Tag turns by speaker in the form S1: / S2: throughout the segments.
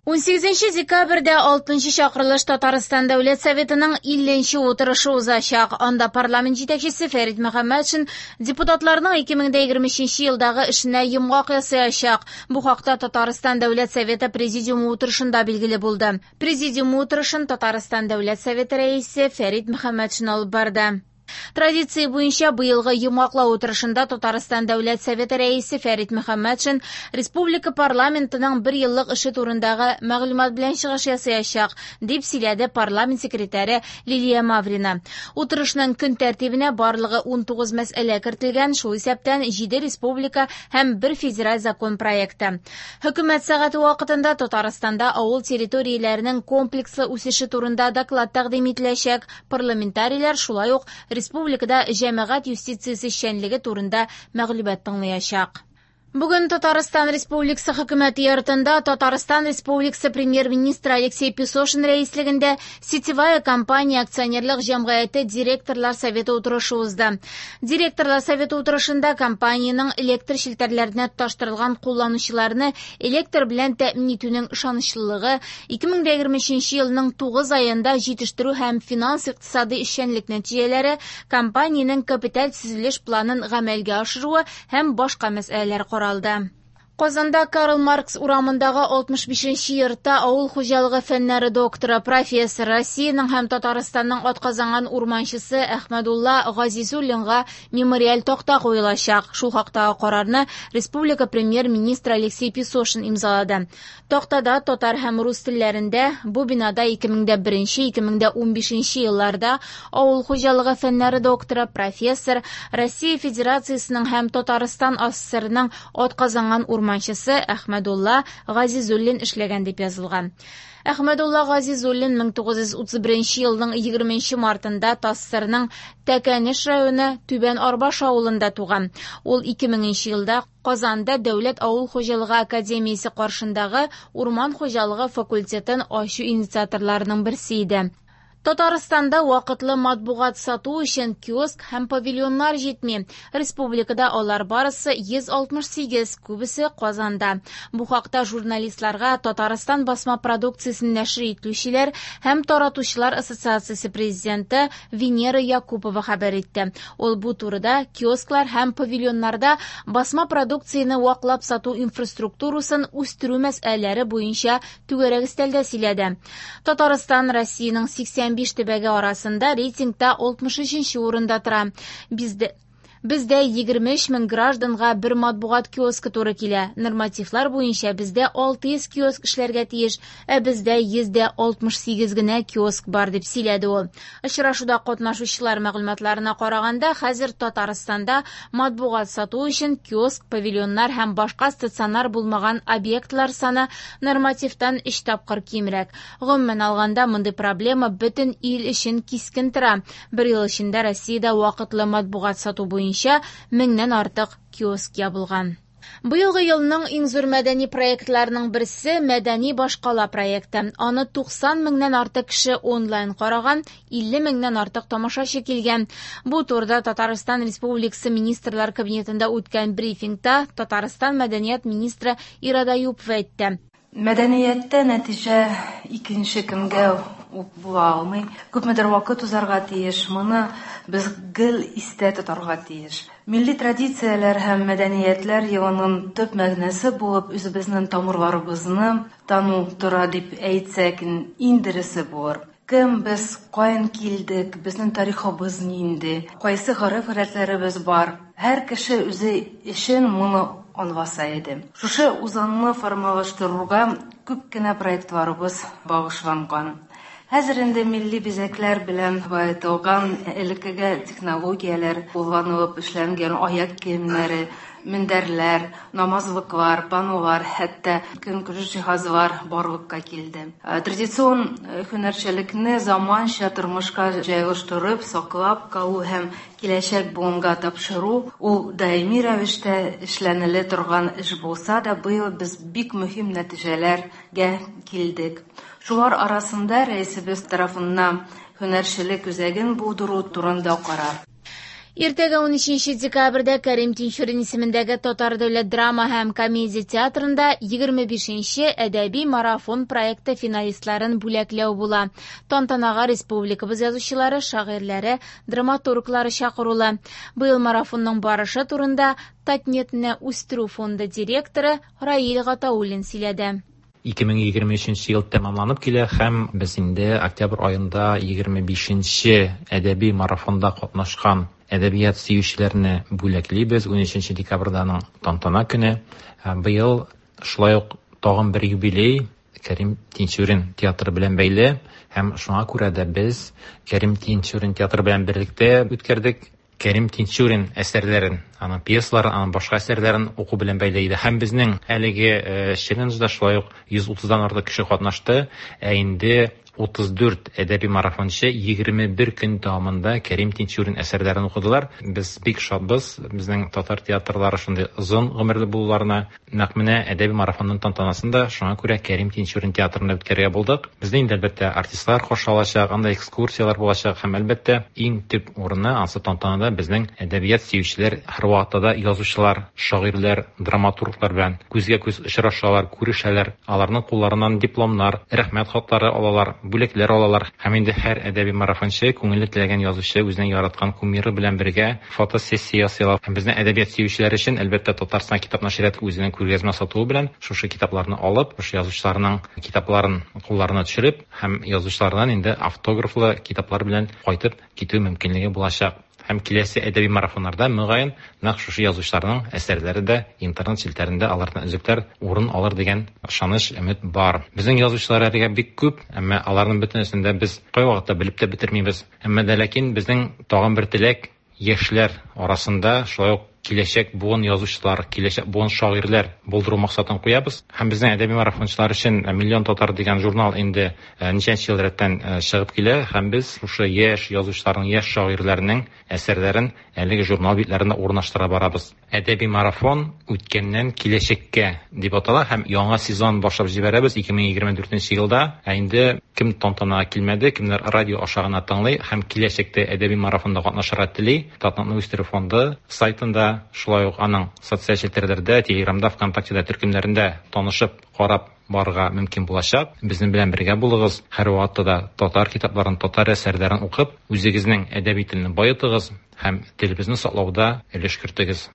S1: 18 декабрьдә 6 чакырылыш Татарстан Дәүләт Советының 50 утырышы узачак. Анда парламент җитәкчесе Фәрит Мөхәммәтшин депутатларның 2023 елдагы эшенә йомгак ясаячак. Бу хакта Татарстан Дәүләт Советы президиумы утырышында билгеле булды. Президиум утырышын Татарстан Дәүләт Советы рәисе Фәрит Мөхәммәтшин алып барды. Традиция буенча быелгы йомгаклау утырышында Татарстан Дәүләт Советы рәисе Фәрит Мөхәммәтшин республика парламентының бер еллык эше турындагы мәгълүмат белән чыгыш ясаячак, дип сөйләде парламент секретаре Лилия Маврина. Утырышның көн тәртибенә барлыгы 19 мәсьәлә кертелгән, шул исәптән 7 республика һәм 1 федераль закон проекты. Хөкүмәт сәгате вакытында Татарстанда авыл территорияләренең комплекслы үсеше турында доклад тәкъдим ителәчәк. Парламентарийлар шулай ук республикада җәмәгать юстициясе эшчәнлеге турында мәгълүмат тыңлаячак. Бүген Татарстан Республикасы Хөкүмәте йортында Татарстан Республикасы Премьер-министры Алексей Песошин рәислегендә Сетевая компания акционерлык җәмгыяте директорлар советы утырышы узды. Директорлар советы утырышында компаниянең электр челтәрләренә тоташтырылган кулланучыларны электр белән тәэмин итүнең ышанычлылыгы, 2023 елның 9 аенда җитештерү һәм финанс-икътисадый эшчәнлек нәтиҗәләре, компаниянең капиталь төзелеш планын гамәлгә ашыруы һәм башка мәсьәләләр каралды. Казанда Карл Маркс урамындагы 65 йортта авыл хуҗалыгы фәннәре докторы, профессор, Россиянең һәм Татарстанның атказанган урманчысы Әхмәдулла Газизуллинга мемориаль такта куелачак. Шул хактагы карарны республика премьер-министры Алексей Песошин имзалады. Тактада татар һәм рус телләрендә бу бинада 2001-2015 елларда авыл хуҗалыгы фәннәре докторы, профессор, Россия Федерациясенең һәм Татарстан АССРның атказанган урманчысы Әхмәдулла Газизуллин эшләгән дип язылган. Әхмәдулла Газизуллин 1931 елның 20 мартында ТАССРның Тәкәнеш районы Түбән Арбаш авылында туган. Ул 2000 елда Казанда Дәүләт авыл хуҗалыгы академиясе каршындагы урман хуҗалыгы факультетын ачу инициаторларының берсе иде. Татарстанда вакытлы матбугат сату өчен киоск һәм павильоннар җитми. Республикада алар барысы 168, күбесе Казанда. Бу хакта журналистларга Татарстан басма продукциясен нәшер итүчеләр һәм таратучылар ассоциациясе президенты Венера Якупова хәбәр итте. Ул бу турыда киосклар һәм павильоннарда басма продукцияне ваклап сату инфраструктурасын үстерү мәсьәләләре буенча түгәрәк өстәлдә сөйләде. Татарстан Россиянең 85 төбәге арасында рейтингта 63 урында тора. Бездә 23 мең гражданга бер матбугат киоскы туры килә. Нормативлар буенча бездә 600 киоск эшләргә тиеш, ә бездә 168 генә киоск бар, дип сөйләде ул. Очрашуда катнашучылар мәгълүматларына караганда, хәзер Татарстанда матбугат сату өчен киоск, павильоннар һәм башка стационар булмаган объектлар саны нормативтан 3 тапкыр кимрәк. Гомумән алганда, мондый проблема бөтен ил өчен кискен тора. Бер ел эчендә Россиядә вакытлы матбугат сату буенча 1000-нән артык киоск ябылган. Быелгы елның иң зур мәдәни проектларының берсе Мәдәни башкала проекты. Аны 90 меңнән артык кеше онлайн караган, 50 меңнән артык тамашачы килгән. Бу турыда Татарстан Республикасы Министрлар Кабинетында үткән брифингта Татарстан мәдәният министры Ирада Юпова әйтте.
S2: Мәдәнияттә нәтиҗә икенче көнгә үк була алмый. Күпмедер вакыт узарга тиеш. Моны без гел истә тотарга тиеш. Милли традицияләр һәм мәдәниятләр елының төп мәгънәсе булып үзебезнең тамырларыбызны тану тора дип әйтсәк, иң дөресе булыр. Кем без, каян килдек, безнең тарихыбыз нинди, кайсы гореф-гадәтләребез бар. Һәр кеше үзе өчен моны аңласа иде. Шушы үзаңны формалаштыруга күп кенә проектларыбыз багышланган. Хәзер инде милли бизәкләр белән баетылган элеккеге технологияләр кулланылып эшләнгән аяк киемнәре, мендәрләр, намазлыклар, панолар, хәтта көнкүреш җиһазлар барлыкка килде. Традицион һөнәрчелекне заманча тормышка җайлаштырып, саклап калу һәм киләчәк буынга тапшыру ул даими рәвештә эшләнелә торган эш булса да, быел без бик мөһим нәтиҗәләргә килдек. Шулар арасында рәисебез тарафыннан һөнәрчелек үзәген булдыру турында карар.
S1: Иртәгә 13 декабрьдә Кәрим Тинчурин исемендәге Татар дәүләт драма һәм комедия театрында 25-нче әдәби марафон проекты финалистларын бүләкләү була. Тантанага республикабыз язучылары, шагыйрьләре, драматурглары чакырулы. Быел марафонның барышы турында Татнетне үстерү фонды директоры Раил Гатауллин сөйләде.
S3: 2023 ел тәмамланып килә һәм без инде октябрь аенда 25-нче әдәби марафонда катнашкан әдәбият сөючеләрне бүләклибез. 13 декабрьдә аның тантана көне. Быел шулай ук тагын бер юбилей Кәрим Тинчурин театры белән бәйле һәм шуңа күрә дә без Кәрим Тинчурин театры белән берлектә үткәрдек Кәрим Тинчурин әсәрләрен, аның пьесаларын, аның башка әсәрләрен уку белән бәйле иде. Һәм безнең әлеге челленджда шулай ук 130-дан артык кеше катнашты. Ә инде 34 әдәби марафончы 21 көн дәвамында Кәрим Тинчурин әсәрләрен укыдылар. Без бик шатбыз, безнең татар театрлары шундый озын гомерле булуларына. Нәкъ менә әдәби марафонның тантанасын да шуңа күрә Кәрим Тинчурин театрында үткәрергә булдык. Безне инде әлбәттә артистлар каршы алачак, анда экскурсияләр булачак һәм әлбәттә иң төп урыны ансы тантанада безнең әдәбият сөючеләр, һәрвакытта да язучылар, шагыйрьләр, драматурглар белән күзгә күз очрашалар, күрешәләр. Аларның кулларыннан дипломнар, рәхмәт хатлары алалар, бүләкләр алалар. Һәм инде һәр әдәби марафончы, күңеле теләгән язучы үзенең яраткан кумиры белән бергә фотосессия ясыйлар. Һәм безнең әдәбият сөючеләр өчен әлбәттә Татарстан китап нәшрияты үзенең күргәзмә сатуы белән шушы китапларны алып, шушы язучыларның китапларын кулларына төшереп һәм язучылардан инде автографлы китаплар белән кайтып китү мөмкинлеге булачак. Һәм киләсе әдәби марафоннарда мөгаен нәкъ шушы язучыларның әсәрләре дә интернет челтәрендә алардан өзекләр урын алыр дигән ышаныч, өмет бар. Безнең язучылар әлегә бик күп, әмма аларның бөтенесен дә без кайвакытта белеп тә бетермибез. Әмма дә ләкин безнең тагын бер теләк яшьләр арасында шулай ук киләчәк буын язучылар, киләчәк буын шагыйрьләр булдыру максатын куябыз. Һәм безнең әдәби марафончылар өчен Миллион татар дигән журнал инде ничәнче ел рәттән чыгып килә һәм без шушы яшь язучыларның, яшь шагыйрьләрнең әсәрләрен әлеге журнал битләрендә урнаштыра барабыз. Әдәби марафон үткәннән киләчәккә дип атала һәм яңа сезон башлап җибәрәбез 2024 елда. Ә инде кем тантанага килмәде, кемнәр радио аша гына тыңлый һәм киләчәктә әдәби марафонда катнашырга тели, Татнетны үстерү фонды сайтында, шулай ук аның социаль челтәрләрдә, Телеграмда, ВКонтактеда төркемнәрендә танышып, карап барырга мөмкин булачак. Безнең белән бергә булыгыз. Һәрвакытта да татар китапларын, татар әсәрләрен укып, үзегезнең әдәби телне баетыгыз һәм телебезне саклауда өлеш кертегез.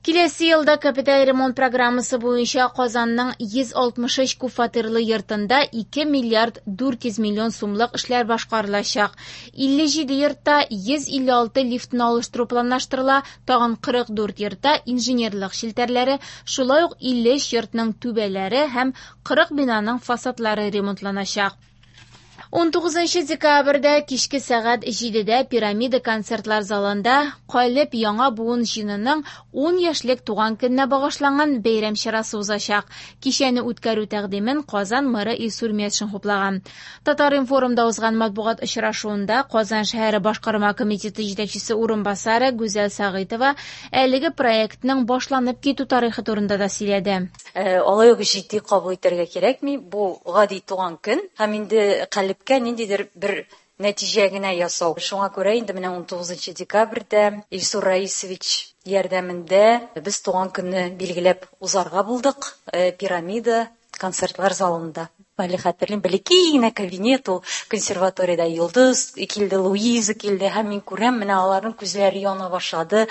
S1: Киләсе елда капиталь ремонт программасы буенча Казанның 163 күпфатирлы йортында 2 миллиард 400 миллион сумлык эшләр башкарылачак. 57 йортта 156 лифтны алыштыру планлаштырыла, тагын 44 йортта инженерлык челтәрләре, шулай ук 53 йортның түбәләре һәм 40 бинаның фасадлары ремонтланачак. 19 декабрьдә кичке сәгать 7-дә Пирамида концертлар залында Калеб яңа буын җыенының 10 яшьлек туган көненә багышланган бәйрәм чарасы узачак. Кичәне үткәрү тәкъдимен Казан мэры Илсур Метшин хуплаган. Татар-информда узган матбугат очрашуында Казан шәһәре башкарма комитеты җитәкчесе урынбасары Гүзәл Сәгыйтова әлеге проектның башланып китү тарихы турында да сөйләде.
S4: Алай ук җитди кабул итәргә кирәкми. Бу гади туган көн һәм инде Калебкә ниндидер бер нәтиҗә генә ясау. Шуңа күрә инде менә 19 декабрьдә Илсур Раисович ярдәмендә без туган көнне билгеләп узарга булдык. Пирамида концертлар залында. Әле хәтерлим, бәләкәй генә кабинет ул консерваториядә. Йолдыз килде, Луиза килде һәм мин күрәм, менә аларның күзләре яна башлады.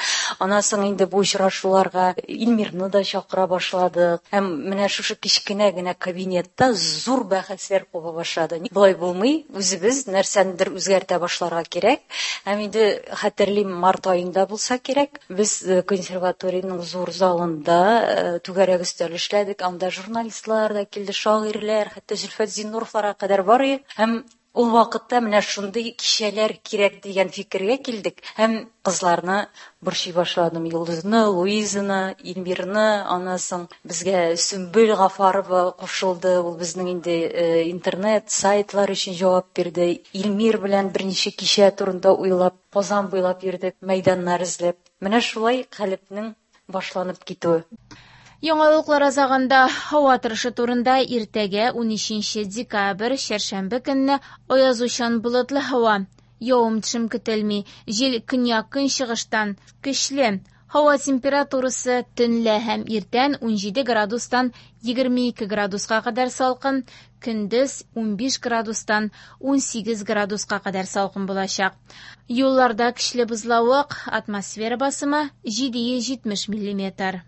S4: Аннан соң инде бу очрашуларга Илмирны да чакыра башладык. Һәм менә шушы кечкенә генә кабинетта зур бәхәсләр куба башлады. Болай булмый, үзебез нәрсәнедер үзгәртә башларга кирәк. Һәм инде хәтерлим, март аенда булса кирәк, без консерваториянең зур залында түгәрәк өстәл эшләдек. Анда журналистлар да килде, шагыйрьләр, хәтта Зөлфәт Зиннуровларга кадәр бар иде. Һәм ул вакытта менә шундый кичәләр кирәк дигән фикергә килдек. Һәм кызларны борчый башладым. Йолдызны, Луизаны, Илмирны, аннан соң безгә Сөмбел Гафарова кушылды. Ул безнең инде интернет сайтлар өчен җавап бирде. Илмир белән берничә кичә турында уйлап, Казан буйлап йөрдек, мәйданнар эзләп. Менә шулай Калебнең башланып китүе.
S1: Яңалыклар азагында һава торышы турында иртәгә 13 декабрь чәршәмбе көнне аязучан болытлы һава. Явым-төшем көтелми. Җил көньяк-көнчыгыштан, көчле. Һава температурасы төнлә һәм иртән 17 градустан 22 градуска кадәр салкын, көндез 15 градустан 18 градуска кадәр салкын булачак. Юлларда көчле бозлавык, атмосфера басымы 770 миллиметр.